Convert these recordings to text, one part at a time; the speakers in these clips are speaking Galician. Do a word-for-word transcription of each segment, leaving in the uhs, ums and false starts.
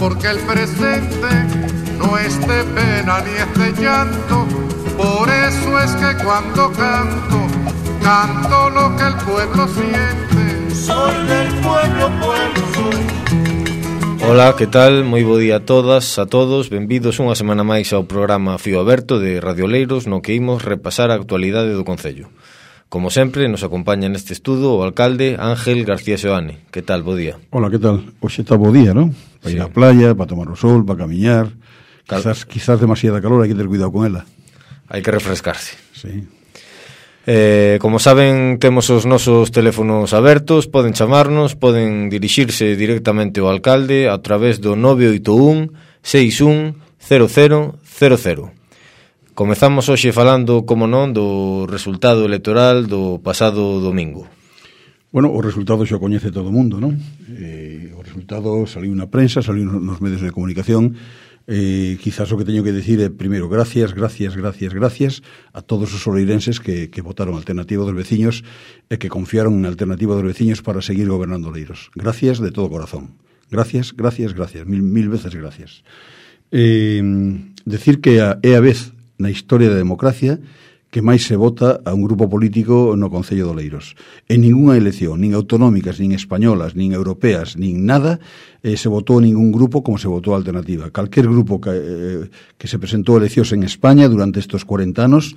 porque el presente no es de pena ni es de llanto. Por eso es que cuando canto, canto lo que el pueblo siente. Soy del pueblo, pueblo soy. Ola, que tal? Moi bo día a todas, a todos. Benvidos unha semana máis ao programa Fío Aberto de Radio Oleiros, no que imos repasar a actualidade do Concello. Como sempre, nos acompaña neste estudo o alcalde Ángel García Seoane. Que tal? Bo día. Hola, que tal? Hoxe está bo día, non? Para ir Sí. á playa, para tomar o sol, para camiñar. Cal... Quizás, quizás demasiada calor, hai que ter cuidado con ela. Hai que refrescarse. Sí. Eh, como saben, temos os nosos teléfonos abertos, poden chamarnos, poden dirixirse directamente ao alcalde a través do nove oito un, seis un, cero cero cero cero. Comezamos hoxe falando, como non, do resultado electoral do pasado domingo. Bueno, o resultado xa o coñece todo o mundo, non? Eh, o resultado saliu na prensa, saliu nos medios de comunicación. Eh, quizás o que teño que decir é, primeiro, gracias, gracias, gracias, gracias a todos os oleirenses que, que votaron a Alternativa dos Veciños e que confiaron en a Alternativa dos Veciños para seguir gobernando Oleiros. Gracias de todo corazón. Gracias, gracias, gracias. Mil, mil veces gracias. Eh, decir que a, é a vez na historia da democracia que máis se vota a un grupo político no Concello de Oleiros. En ningunha elección, nin autonómicas, nin españolas, nin europeas, nin nada, eh, se votou ningún grupo como se votou a Alternativa. Calquer grupo que, eh, que se presentou a eleccións en España durante estes cuarenta anos,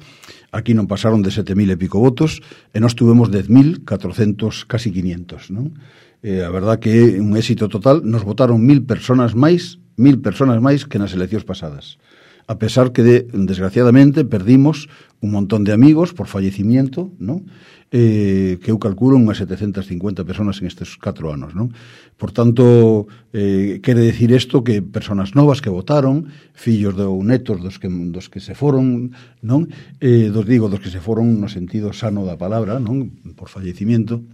aquí non pasaron de sete mil e pico votos, e nós tuvemos dez mil catrocentos, casi quinientos, non? Eh, a verdad que é un éxito total. Nos votaron mil personas máis, mil personas máis que nas eleccións pasadas. A pesar que, de, desgraciadamente, perdimos un montón de amigos por fallecimiento, ¿no? Eh, que eu calculo unhas setecentas cincuenta personas en estes catro anos, non? Por tanto, eh, quere decir isto que personas novas que votaron, fillos de, ou netos dos que, dos que se foron, non? Eh, dos digo, dos que se foron no sentido sano da palabra, non? Por fallecimiento.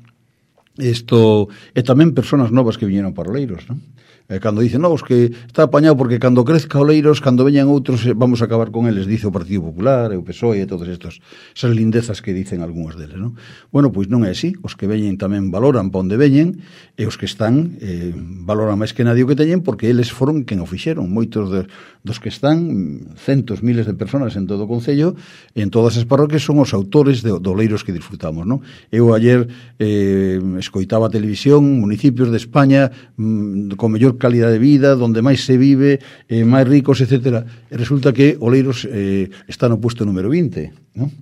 Isto, e tamén personas novas que viñeron para Oleiros, non? Eh, cando dicen, no, os que está apañado porque cando crezca Oleiros, cando veñan outros, vamos a acabar con eles, dice o Partido Popular, e o P S O E, e todos estos, esas lindezas que dicen algúns deles, non? Bueno, pois non é así, os que veñen tamén valoran pa onde veñen, e os que están eh, valoran máis que nadie o que teñen, porque eles foron quen o fixeron. Moitos de, dos que están, centos, miles de personas en todo o Concello, e en todas as parroquias son os autores de, de Oleiros que disfrutamos, non? Eu ayer eh, escoitaba a televisión, municipios de España mm, con mellor calidad de vida, donde máis se vive, eh, máis ricos, etcétera. E resulta que Oleiros eh, está no puesto número vinte, ¿no?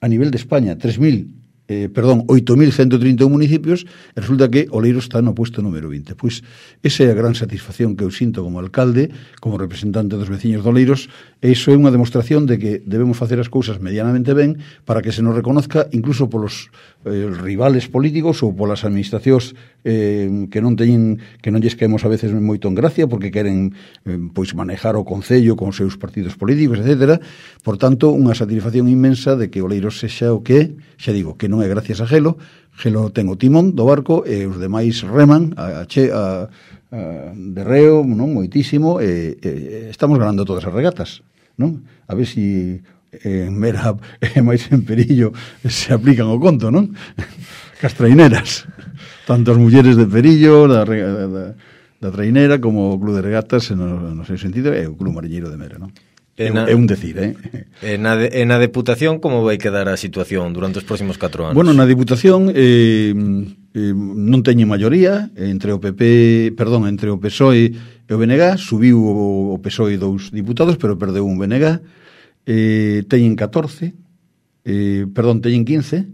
A nivel de España, tres mil, eh, perdón, oito mil ciento trinta e un municipios, e resulta que Oleiros está no puesto número vinte. Pois esa é a gran satisfacción que eu sinto como alcalde, como representante dos veciños de Oleiros, e iso é unha demostración de que debemos facer as cousas medianamente ben para que se nos reconozca incluso polos eh, rivales políticos ou polas administracións eh, que non teñen, que non lles caemos a veces moito en gracia porque queren eh, pois manejar o Concello con os seus partidos políticos, etcétera. Por tanto, unha satisfacción inmensa de que Oleiros sexa o que é, xa digo, que non é gracias a Gelo. Gelo ten o timón do barco e os demais reman a, a, a, a de reo, non, moitísimo, e, e estamos ganando todas as regatas, non? A ver si en Mera e máis en Perillo se aplican o conto, non? Cas traineras, tanto as mulleres de Perillo, da, da, da trainera, como o Club de Regatas, no, no seu sentido, e o Club Mariñeiro de Mera, non? É, na, é un decir, eh? E na, de, na Deputación, como vai quedar a situación durante os próximos catro anos? Bueno, na Deputación eh, eh, non teñen maioría entre o P P, perdón, entre o P S O E e o B N G. Subiu o, o P S O E dous diputados, pero perdeu un B N G. Eh, teñen catorce, eh, perdón, teñen quince,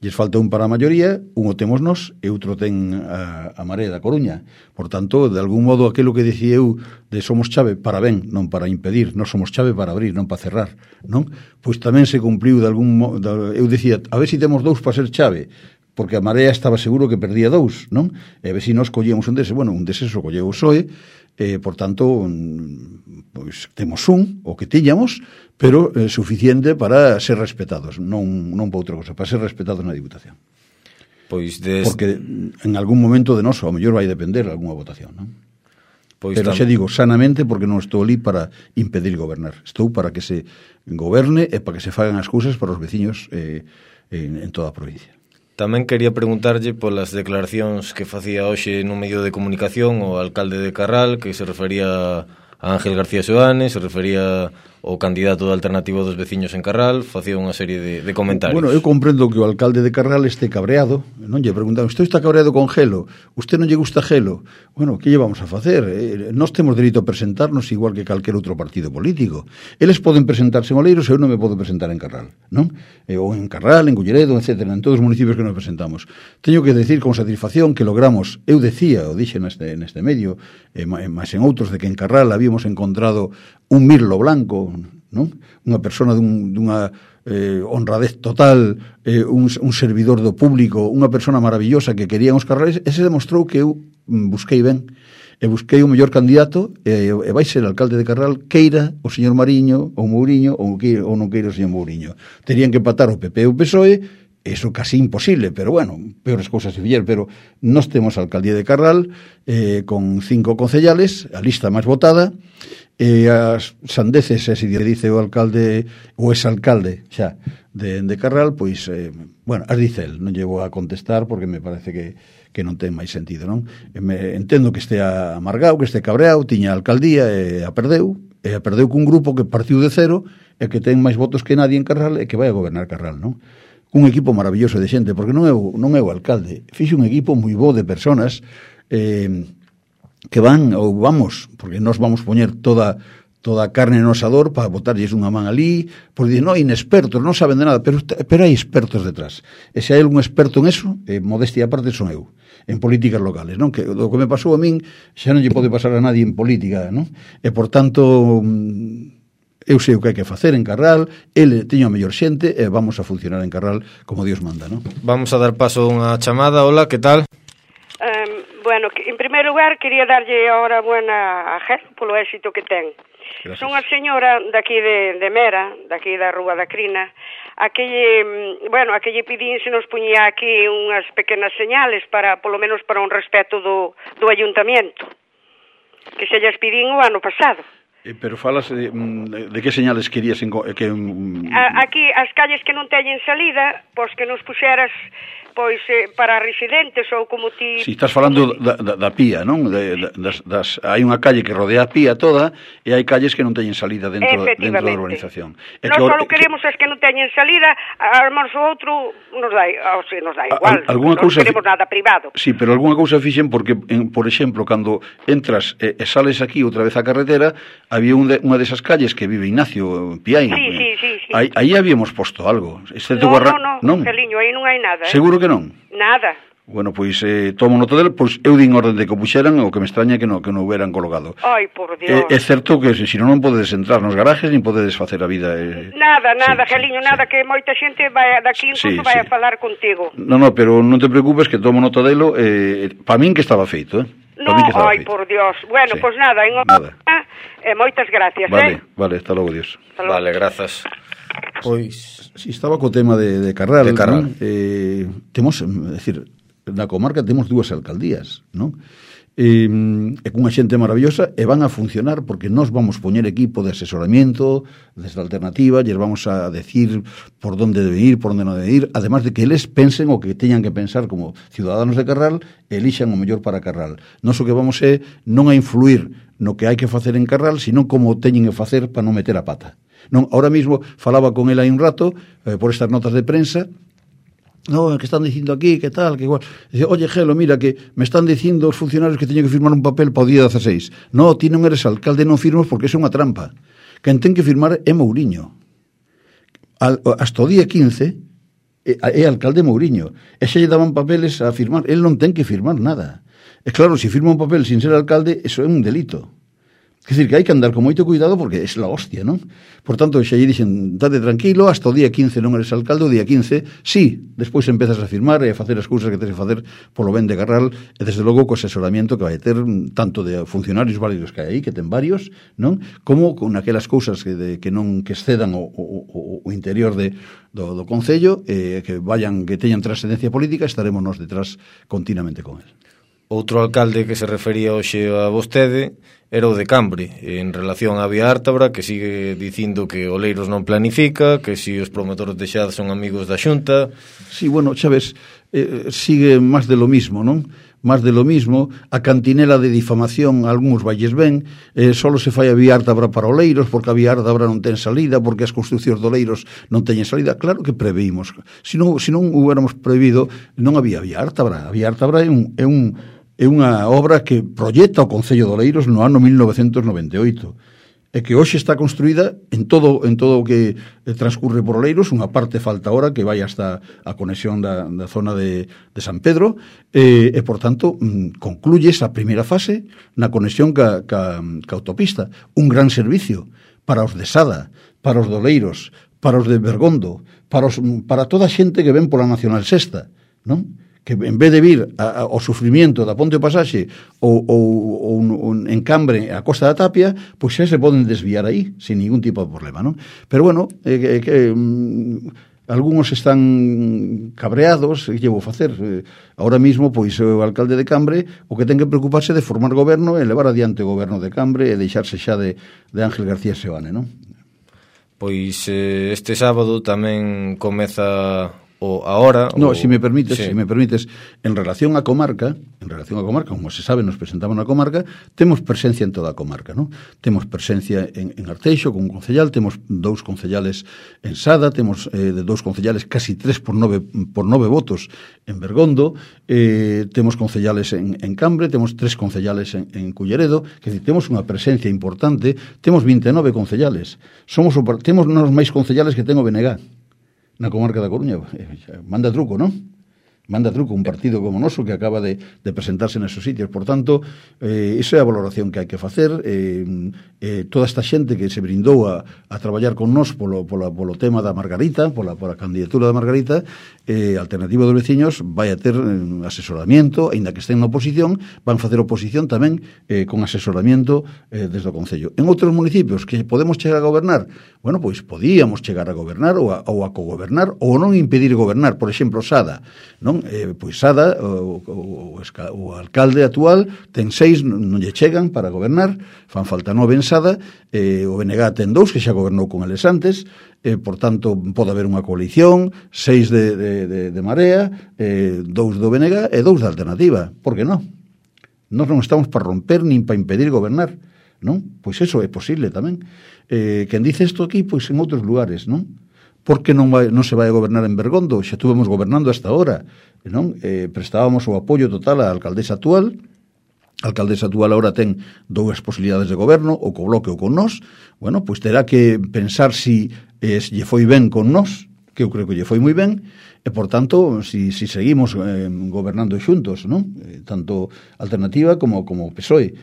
lles falta un para a maioría, un o temos nós e outro ten a, a Marea da Coruña. Por tanto, de algún modo, aquilo que dicía eu de somos chave para ben, non para impedir, non somos chave para abrir, non para cerrar, non? Pois tamén se cumpliu de algún modo, eu dicía, a ver se si temos dous para ser chave, porque a Marea estaba seguro que perdía dous, non? E a ver se si nós collíamos un deses, bueno, un deses o colleu o P S O E, eh, por tanto, pois temos un, o que tiñamos, pero eh, suficiente para ser respetados, non, non para outra cosa, para ser respetados na Diputación. Pois des... Porque en algún momento de noso, ao mellor vai depender algunha votación, non? Pois pero tam... xe digo, sanamente, porque non estou ali para impedir gobernar. Estou para que se goberne e para que se fagan as cousas para os veciños eh, en, en toda a provincia. Tamén quería preguntarlle polas declaracións que facía hoxe nun medio de comunicación o alcalde de Carral, que se refería a Ángel García Soanes, se refería ao candidato da Alternativa dos Veciños en Carral, facía unha serie de, de comentarios. Bueno, eu comprendo que o alcalde de Carral este cabreado, non lle preguntan, usted está cabreado con Gelo, usted non lle gusta Gelo. Bueno, que lle vamos a facer? Eh, nós temos dereito a presentarnos igual que calquer outro partido político. Eles poden presentarse en Oleiros e eu non me podo presentar en Carral, non? Eh, ou en Carral, en Culleredo, etcétera, en todos os municipios que nos presentamos. Teño que decir con satisfacción que logramos, eu decía, o dixe neste, neste medio, eh, máis en outros, de que en Carral habíamos encontrado un mirlo blanco, non? Unha persona dun, dunha eh, honradez total, eh, un, un servidor do público, unha persona maravillosa que querían os carrales. Ese demostrou que eu busquei ben, e busquei o mellor candidato, e, e vai ser alcalde de Carral, queira o señor Mariño ou Mouriño, ou, que, ou non queira o señor Mouriño. Terían que empatar o P P e o P S O E, eso casi imposible, pero bueno, peores cousas se fixeron, pero nós temos a alcaldía de Carral eh, con cinco concellales, a lista máis votada, e as sandeces, se dice o alcalde o exalcalde xa de, de Carral, pois, eh, bueno, as dice el, non llevo a contestar porque me parece que, que non ten máis sentido, non? Me, entendo que este amargado, que este cabreado, tiña a alcaldía e a perdeu, e a perdeu cun grupo que partiu de cero e que ten máis votos que nadie en Carral e que vai a gobernar Carral, non? Un equipo maravilloso de xente, porque non é o, non é o alcalde, fixe un equipo moi bo de personas eh, que van, ou vamos, porque nós vamos poñer toda toda a carne no asador para botarlles unha man ali, porque dicen, no, inexpertos, non saben de nada, pero, pero hai expertos detrás. E se hai algún experto en eso, eh, modestia aparte son eu, en políticas locales, non? Que o que me pasou a min xa non lle pode pasar a nadie en política, non? E, por tanto, eu sei o que hai que facer en Carral, ele teño a mellor xente e vamos a funcionar en Carral como Dios manda, non? Vamos a dar paso a unha chamada. Hola, que tal? Um, bueno, en primeiro lugar, quería darlle ahora buena a Gel polo éxito que ten. Gracias. Son a señora daqui de, de Mera, daqui da Rúa da Crina, a que lle, bueno, a que lle pidín se nos puñía aquí unhas pequenas señales para, polo menos para un respeto do, do ayuntamiento, que se lles pidín o ano pasado. Eh, pero falas de, de que señales querías en, que um... a, aquí as calles que non teñen salida, pois que nos puxeras pois eh, para residentes ou como ti... Si, estás falando da, da, da pía, non? De, de, das, das, hai unha calle que rodea a pía toda e hai calles que non teñen salida dentro, dentro da urbanización. Non só queremos que... as que non teñen salida, armamos o outro, nos dá, o sea, nos dá igual, a, non queremos nada privado. Sí, pero algunha cousa fixen porque, en, por exemplo, cando entras e, e sales aquí outra vez á carretera, había un de, unha desas calles que vive Ignacio Piai. Sí, sí, sí, sí. Aí, aí habíamos posto algo. No, guarra... no, no, non, Celiño, aí non hai nada. Eh? Seguro que non? Nada. Bueno, pois eh, tomo nota del, pois eu din orden de que o puxeran, o que me extraña que non que non hubieran colocado. Ai, por Dios. É, é certo que se si non non podedes entrar nos garajes nin podedes facer a vida. Eh... Nada, nada, sí, Geliño, sí, nada, sí. Que moita xente vai daqui incluso sí, vai sí. a falar contigo. No, no, pero non te preocupes que tomo nota delo, eh, para min que estaba feito, eh. No, ai, feito. Por Dios. Bueno, sí. Pois pues nada, en nada. Eh, moitas gracias, vale, eh. Vale, hasta logo, Dios. Hasta logo. Vale, grazas. Pois, si estaba co tema de, de Carral, de Carral. ¿no? Eh, temos, é dicir, na comarca temos dúas alcaldías, non? E, e cunha xente maravillosa e van a funcionar porque nós vamos poñer equipo de asesoramiento desde a alternativa, lles vamos a decir por donde debe ir, por onde non debe ir, además de que eles pensen o que teñan que pensar como ciudadanos de Carral e elixan o mellor para Carral. Nós o que vamos é non a influir no que hai que facer en Carral, sino como teñen que facer para non meter a pata. Non, ahora mismo falaba con ele hai un rato eh, por estas notas de prensa. No, que están dicindo aquí, que tal, que igual. Dice, oye, Gelo, mira, que me están dicindo os funcionarios que teño que firmar un papel para o día dieciséis. No, ti non eres alcalde, non firmas porque é unha trampa. Quen ten que firmar é Mouriño. Al, hasta o día quince é, é alcalde Mouriño. E xa lle daban papeles a firmar. El non ten que firmar nada. E claro, se firma un papel sin ser alcalde, eso é un delito. É dicir, que hai que andar con moito cuidado porque é la hostia, non? Por tanto, xa lle dixen, date tranquilo, hasta o día quince non eres alcalde, o día quince, sí, despois empezas a firmar e a facer as cousas que tens que facer polo ben de Carral, e desde logo co asesoramiento que vai ter tanto de funcionarios válidos que hai aí, que ten varios, non? Como con aquelas cousas que, de, que non que excedan o, o, o interior de, do, do Concello, eh, que vayan, que teñan trascendencia política, estaremos nos detrás continuamente con el. outro alcalde que se refería hoxe a vostede era o de Cambre, en relación á Vía Ártabra, que sigue dicindo que Oleiros non planifica, que si os promotores de Xad son amigos da Xunta. Sí, bueno, xa ves, eh, sigue máis de lo mismo, non? Máis de lo mismo, a cantinela de difamación, algúns valles ben, eh, solo se fai a Vía Ártabra para Oleiros, porque a Vía Ártabra non ten salida, porque as construcións de Oleiros non teñen salida. Claro que preveímos. Se non, se non hubiéramos prevido, non había Vía Ártabra. A Vía Ártabra é un... É un é unha obra que proyecta o Concello de Oleiros no ano mil novecentos noventa e oito e que hoxe está construída en todo en todo o que transcurre por Oleiros. Unha parte falta ahora que vai hasta a conexión da, da zona de, de San Pedro e, e por tanto concluye esa primeira fase na conexión ca, ca, ca autopista. Un gran servicio para os de Sada, para os de Oleiros, para os de Bergondo, para, os, para toda a xente que ven pola Nacional Sexta, non? Que en vez de vir a, a, ao sufrimiento da Ponte do Pasaxe ou, ou, ou un, en Cambre a Costa da Tapia, pois xa se poden desviar aí sin ningún tipo de problema, non? Pero bueno, eh, que, mm, algúns están cabreados, que llevo a facer? Eh, ahora mismo, pois o alcalde de Cambre o que ten que preocuparse de formar goberno e levar adiante o goberno de Cambre e deixarse xa de, de Ángel García Seoane, non? Pois eh, este sábado tamén comeza o ahora... No, o... si me permites, sí. si me permites, en relación a comarca, en relación a comarca, como se sabe, nos presentamos na comarca, temos presencia en toda a comarca, ¿no? Temos presencia en, en Arteixo, con un concellal, temos dous concellales en Sada, temos eh, de dous concellales casi tres por nove, por nove votos en Bergondo, eh, temos concellales en, en Cambre, temos tres concellales en, en Culleredo, que decir, temos unha presencia importante, temos vinte e nove concellales, somos o, temos nos máis concellales que ten o B N G na comarca da Coruña. Manda truco, non? Manda truco un partido como noso que acaba de, de presentarse nesos sitios. Por tanto, eh, esa é a valoración que hai que facer. Eh, eh, toda esta xente que se brindou a, a traballar con nós polo, polo, polo tema da Margarita, pola, pola candidatura da Margarita, eh, Alternativa dos Veciños vai a ter eh, asesoramiento, aínda que estén na oposición, van facer oposición tamén eh, con asesoramiento eh, desde o Concello. En outros municipios que podemos chegar a gobernar, bueno, pois podíamos chegar a gobernar ou a, ou a cogobernar ou non impedir gobernar. Por exemplo, Sada, non? Eh, pois Sada, o, o, o, o alcalde actual ten seis, non lle chegan para gobernar, fan falta nove en Sada, eh, o B N G ten dous que xa gobernou con eles antes, eh, por tanto pode haber unha coalición, seis de, de, de, de Marea, eh, dous do B N G e dous da Alternativa. Por que non? Nós non estamos para romper nin para impedir gobernar, non? Pois eso é posible tamén. Eh, quen dice isto aquí, pois en outros lugares, non? Por que non, vai, non se vai a gobernar en Bergondo? Xa estuvemos gobernando hasta ahora, non? Eh, prestábamos o apoio total á alcaldesa actual. A alcaldesa actual agora ten dúas posibilidades de goberno, ou co Bloque ou con nós. Bueno, pois terá que pensar si eh, lle foi ben con nós, que eu creo que lle foi moi ben, e, por tanto, si, si seguimos eh, gobernando xuntos, non? Eh, tanto Alternativa como, como P S O E.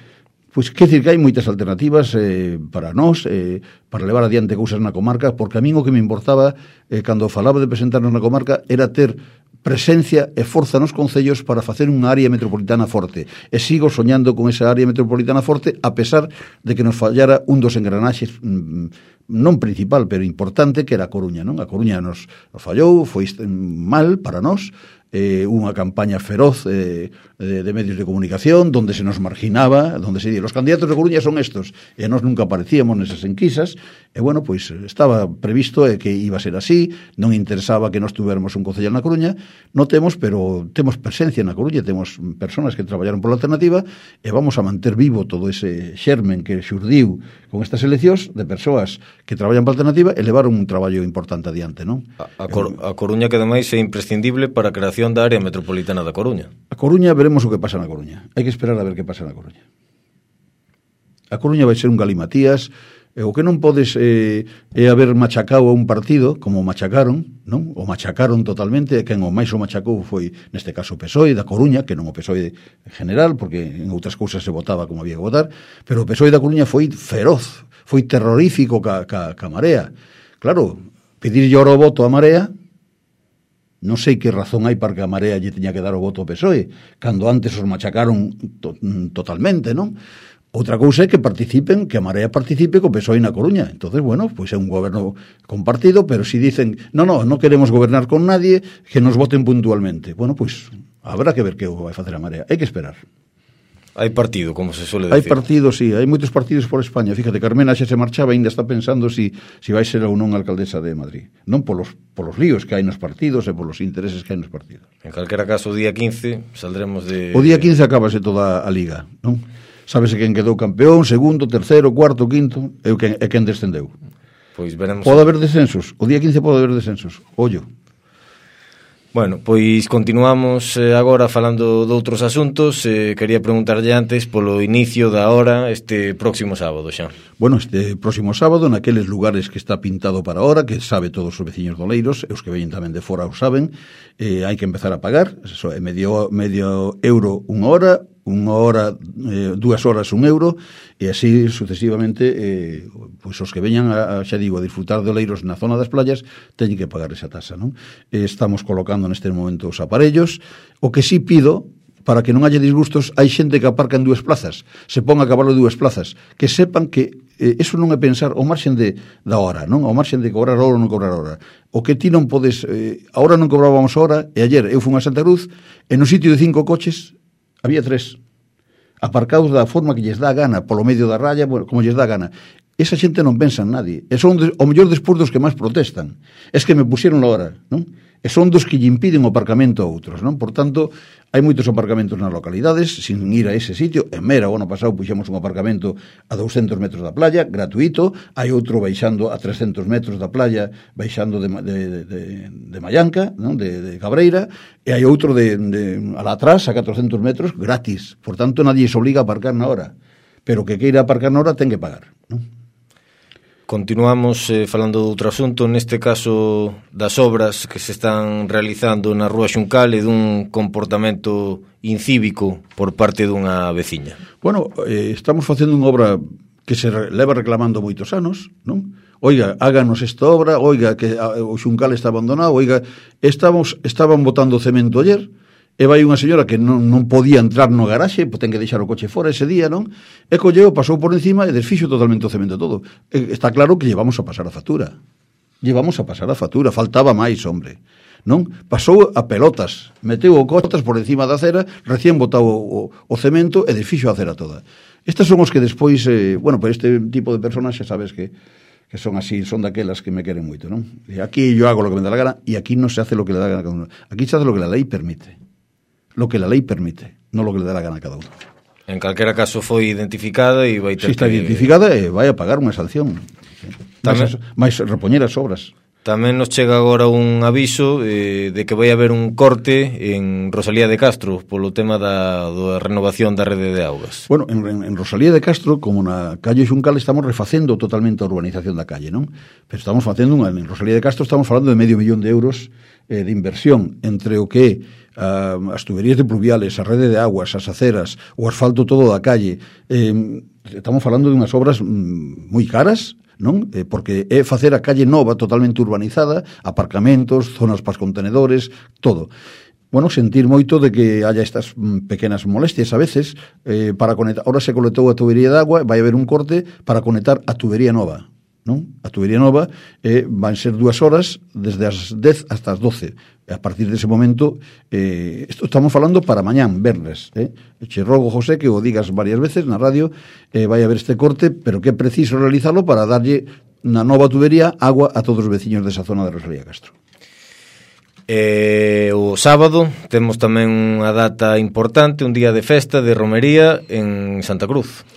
Pois quer dicir que hai moitas alternativas eh, para nós, eh, para levar adiante cousas na comarca, porque a min o que me importaba, eh, cando falaba de presentarnos na comarca, era ter presencia e forza nos concellos para facer unha área metropolitana forte. E sigo soñando con esa área metropolitana forte, a pesar de que nos fallara un dos engranaxes mm, non principal, pero importante, que era a Coruña, non? A Coruña nos, nos fallou, foi mal para nós, eh, unha campaña feroz eh, de, de medios de comunicación donde se nos marginaba, donde se di, los candidatos de Coruña son estos, e nós nunca aparecíamos nesas enquisas, e bueno, pois estaba previsto eh, que iba a ser así, non interesaba que nós tuviéramos un concellal na Coruña, non temos, pero temos presencia na Coruña, temos personas que traballaron pola Alternativa, e vamos a manter vivo todo ese xermen que xurdiu con estas eleccións de persoas que traballan pola Alternativa e levaron un traballo importante adiante, non? A, a, Cor a Coruña que ademais é imprescindible para a creación da área metropolitana da Coruña. A Coruña veremos o que pasa na Coruña. Hai que esperar a ver que pasa na Coruña. A Coruña vai ser un galimatías, e o que non podes eh, é haber machacado a un partido como machacaron, non? O machacaron totalmente, e quen o máis o machacou foi neste caso o P S O E da Coruña, que non o P S O E general, porque en outras cousas se votaba como había que votar, pero o P S O E da Coruña foi feroz, foi terrorífico ca, ca, ca Marea. Claro, pedir oro o voto a Marea, non sei que razón hai para que a Marea lle teña que dar o voto ao P S O E, cando antes os machacaron to totalmente, non? Outra cousa é que participen, que a Marea participe co P S O E na Coruña. Entonces, bueno, pois é un goberno compartido, pero si dicen, no, no, non queremos gobernar con nadie, que nos voten puntualmente. Bueno, pois habrá que ver que vai facer a Marea. Hai que esperar. Hai partido, como se suele Hai decir. partido, sí, hai moitos partidos por España. Fíjate, Carmena xa se marchaba, ainda está pensando si, si vai ser ou non alcaldesa de Madrid. Non polos, polos líos que hai nos partidos e polos intereses que hai nos partidos. En calquera caso, o día quince saldremos de... O día quince acabase toda a liga, non? Sábese quen quedou campeón, segundo, terceiro, cuarto, quinto, e quen, e quen descendeu. Pois veremos... Pode haber descensos, o día quince pode haber descensos, ollo. Bueno, pois continuamos eh, agora falando de outros asuntos. eh, Quería preguntarlle antes polo inicio da hora este próximo sábado xa. Bueno, este próximo sábado, naqueles lugares que está pintado para ahora, que sabe todos os veciños do Oleiros, e os que veñen tamén de fora o saben, eh, hai que empezar a pagar, eso é medio, medio euro unha hora, unha hora, eh, dúas horas un euro, e así sucesivamente, eh, pois os que veñan a, a, xa digo, a disfrutar de Oleiros na zona das playas, teñen que pagar esa tasa, non? Eh, estamos colocando neste momento os aparellos. O que sí pido, para que non haya disgustos, hai xente que aparca en dúas plazas, se pon a cabalo dúas plazas, que sepan que eh, eso non é pensar ao marxen de, da hora, non? Ao marxen de cobrar hora ou non cobrar hora. O que ti non podes, eh, ahora non cobrábamos hora, e ayer eu fui a Santa Cruz, e no sitio de cinco coches había tres, aparcados da forma que lles dá a gana, polo medio da raya, bueno, como lles dá a gana. Esa xente non pensa en nadie, e son de, o mellor despois dos que máis protestan. Es que me pusieron la hora, non? E son dos que lle impiden o aparcamento a outros, non? Por tanto, hai moitos aparcamentos nas localidades, sin ir a ese sitio. En Mera, o ano pasado, puxemos un aparcamento a douscentos metros da playa, gratuito. Hai outro baixando a trescentos metros da playa, baixando de, de, de, de Mallanca, non? De, de Cabreira, e hai outro de, de a la atrás, a catrocentos metros, gratis. Por tanto, nadie se obliga a aparcar na hora. Pero que queira aparcar na hora, ten que pagar, non? Continuamos eh, falando de outro asunto, neste caso das obras que se están realizando na Rúa Xuncal e dun comportamento incívico por parte dunha veciña. Bueno, eh, estamos facendo unha obra que se re, leva reclamando moitos anos, non? Oiga, háganos esta obra, oiga, que a, o Xuncal está abandonado, oiga, estamos, estaban botando cemento ayer, e vai unha señora que non, non podía entrar no garaxe, pois ten que deixar o coche fora ese día, non? E colleu, pasou por encima e desfixo totalmente o cemento todo. E está claro que llevamos a pasar a factura. Llevamos a pasar a factura, faltaba máis, hombre. Non? Pasou a pelotas, meteu o cotas por encima da acera, recén botado o, o, o cemento e desfixo a acera toda. Estas son os que despois, eh, bueno, por este tipo de personas xa sabes que que son así, son daquelas que me queren moito, non? E aquí yo hago lo que me da la gana e aquí no se hace lo que le da la gana a cada uno. Aquí se hace lo que la ley permite. Lo que la lei permite, non lo que le dá a gana a cada uno. En calquera caso foi identificada e vai ter si está que... identificada, eh, vai a pagar unha sanción. Tamén... Mais repoñer as obras. Tamén nos chega agora un aviso eh, de que vai haber un corte en Rosalía de Castro polo tema da, da renovación da rede de augas. Bueno, en, en Rosalía de Castro, como na calle Xuncal, estamos refacendo totalmente a urbanización da calle, non? Pero estamos facendo unha, en Rosalía de Castro estamos falando de medio millón de euros eh, de inversión entre o que uh, as tuberías de pluviales, a rede de aguas, as aceras, o asfalto todo da calle. Eh, estamos falando de unhas obras mm, moi caras, non? Eh, porque é facer a calle nova totalmente urbanizada, aparcamentos, zonas para os contenedores, todo. Bueno, sentir moito de que haya estas pequenas molestias a veces eh, para conectar. Ahora se conectou a tubería de agua, vai haber un corte para conectar a tubería nova, non? A tubería nova eh, van ser dúas horas desde as dez hasta as doce. A partir dese momento, eh, esto estamos falando para mañán, verles. Eh? Che rogo, José, que o digas varias veces na radio, eh, vai haber este corte, pero que é preciso realizarlo para darlle na nova tubería agua a todos os veciños desa zona de Rosalía Castro. Eh, o sábado temos tamén unha data importante, un día de festa, de romería en Santa Cruz.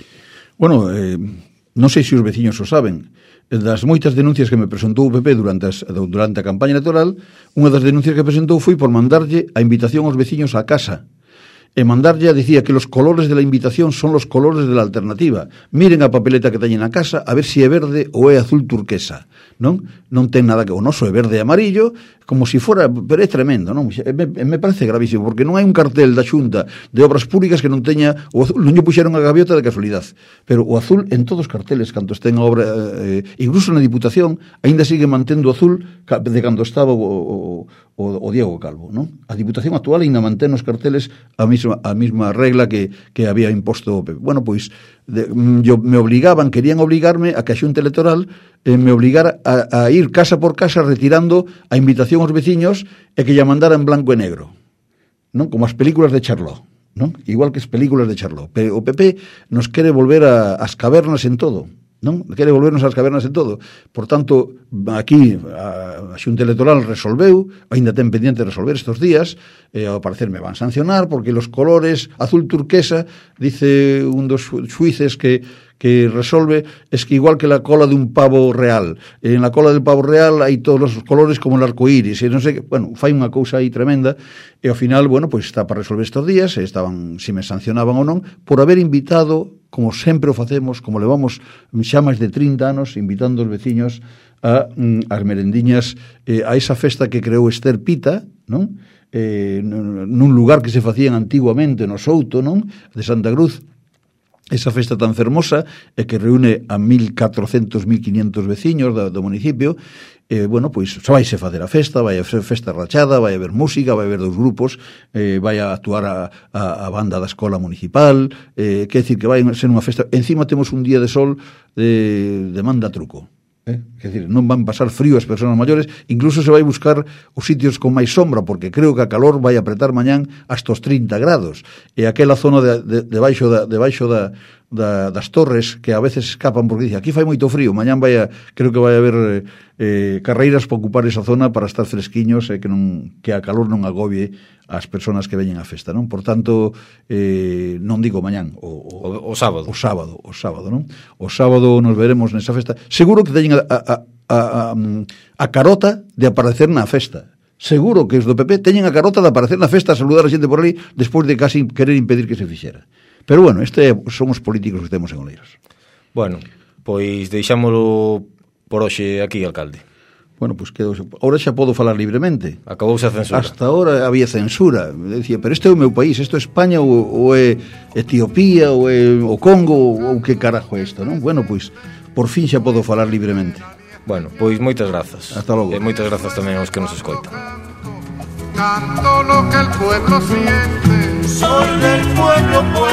Bueno, eh, non sei se os veciños o saben. Das moitas denuncias que me presentou o P P durante, as, durante a campaña electoral, unha das denuncias que presentou foi por mandarlle a invitación aos veciños á casa. E mandarlle decía que los colores de la invitación son los colores de la alternativa. Miren a papeleta que teñen na casa a ver se si é verde ou é azul turquesa. Non? Non ten nada que... O noso é verde e amarillo, como se si fora... Pero é tremendo, non? Me, me parece gravísimo, porque non hai un cartel da Xunta de Obras Públicas que non teña... O azul, non lle puxeron a gaviota de casualidade. Pero o azul en todos os carteles, canto estén a obra... Eh, incluso na Diputación, aínda sigue mantendo o azul de cando estaba o, o, o, o Diego Calvo, non? A Diputación actual aínda mantén os carteles a mesma, a mesma regla que, que había imposto o P P. Bueno, pois, de, yo, me obligaban, querían obligarme a que a Xunta Electoral eh, me obligara a, a ir casa por casa retirando a invitación aos veciños e que lla mandara en blanco e negro, non? Como as películas de Charlot, non? Igual que as películas de Charlot. O P P nos quere volver a, as cavernas en todo, non? Quere volvernos ás cavernas en todo. Por tanto, aquí a, a Xunta Electoral resolveu, aínda ten pendiente de resolver estes días, e ao parecer me van sancionar porque los colores azul turquesa, dice un dos xuíces que que resolve, es que igual que la cola de un pavo real, en la cola del pavo real hai todos os colores como el arcoíris, e non sei, bueno, fai unha cousa aí tremenda, e ao final, bueno, pois está para resolver estes días, e estaban, si me sancionaban ou non, por haber invitado, como sempre o facemos, como levamos xa máis de trinta anos, invitando os veciños a mm, as merendiñas, eh, a esa festa que creou Esther Pita, non? Eh, nun lugar que se facían antiguamente no Souto, non? De Santa Cruz, esa festa tan fermosa e que reúne a mil catrocentos, mil quinientos veciños do, do municipio. Eh, bueno, pois xa vai se facer a festa, vai a ser festa rachada, vai a haber música, vai a haber dos grupos, eh, vai a actuar a, a, a banda da escola municipal, eh, quer decir que vai ser unha festa. Encima temos un día de sol de, de manda truco. Eh? Quer dizer, non van pasar frío as persoas maiores, incluso se vai buscar os sitios con máis sombra, porque creo que a calor vai apretar mañán hasta os trinta grados, e aquela zona de, de, de baixo, da, de baixo da, da, das torres que a veces escapan porque dice, aquí fai moito frío, mañán vai a, creo que vai haber eh, carreiras para ocupar esa zona para estar fresquiños e que, non, que a calor non agobie as persoas que veñen á festa, non? Por tanto, eh, non digo mañán, o, o, o, o sábado. O sábado, o sábado, non? O sábado nos veremos nesa festa. Seguro que teñen a, a, a, a, a carota de aparecer na festa. Seguro que os do P P teñen a carota de aparecer na festa a saludar a xente por ali despois de casi querer impedir que se fixera. Pero bueno, este son os políticos que temos en Oleiros. Bueno, pois deixámolo por hoxe aquí, alcalde. Bueno, pois pues que ahora xa podo falar libremente. Acabouse a censura. Hasta ahora había censura. Decía, pero este é o meu país, isto é España ou, ou é Etiopía ou é o Congo ou que carajo é isto, non? Bueno, pois por fin xa podo falar libremente. Bueno, pois moitas grazas. Hasta logo. E moitas grazas tamén aos que nos escoitan. Canto lo que el pueblo siente. Soy del pueblo, pueblo.